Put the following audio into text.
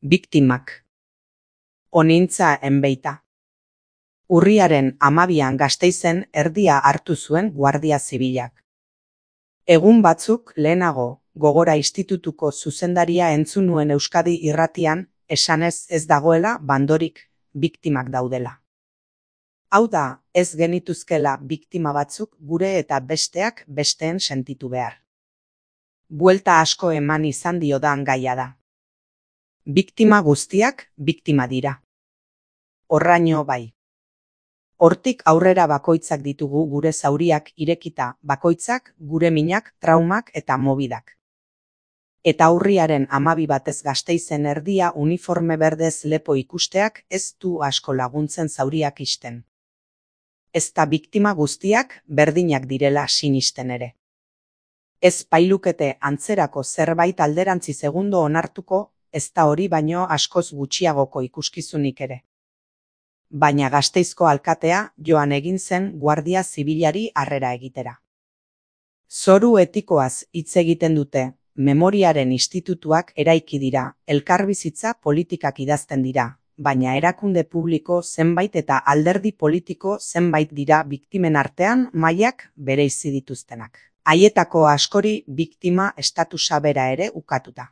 Biktimak. Onintza enbeita. Urriaren 12an Gasteizen erdia hartu zuen Guardia Zibilak. Egun batzuk lehenago, Gogora Institutuko zuzendaria entzun nuen Euskadi Irratian, esanez ez dagoela bandorik, biktimak daudela. Hau da, ez genituzkela biktima batzuk gure eta besteak besteen sentitu behar. Buelta asko eman izan diodan gaia da. Biktima guztiak biktima dira. Horraino bai. Hortik aurrera bakoitzak ditugu gure zauriak irekita, bakoitzak gure minak, traumak eta mobidak. Eta urriaren 12 batez Gasteizen erdia uniforme berdez lepo ikusteak ez du asko laguntzen zauriak isten. Ezta biktima guztiak berdinak direla sinisten ere. Ez pailukete antzerako zerbait alderantzi segundo onartuko, ez da hori baino askoz gutxiagoko ikuskizunik ere. Baina Gasteizko alkatea joan egin zen Guardia Zibilari harrera egitera. Zoru etikoaz hitz egiten dute, memoriaren institutuak eraiki dira, elkarbizitza politikak idazten dira, baina erakunde publiko zenbait eta alderdi politiko zenbait dira biktimen artean mailak bereizi dituztenak. Haietako askori biktima estatusa bera ere ukatuta.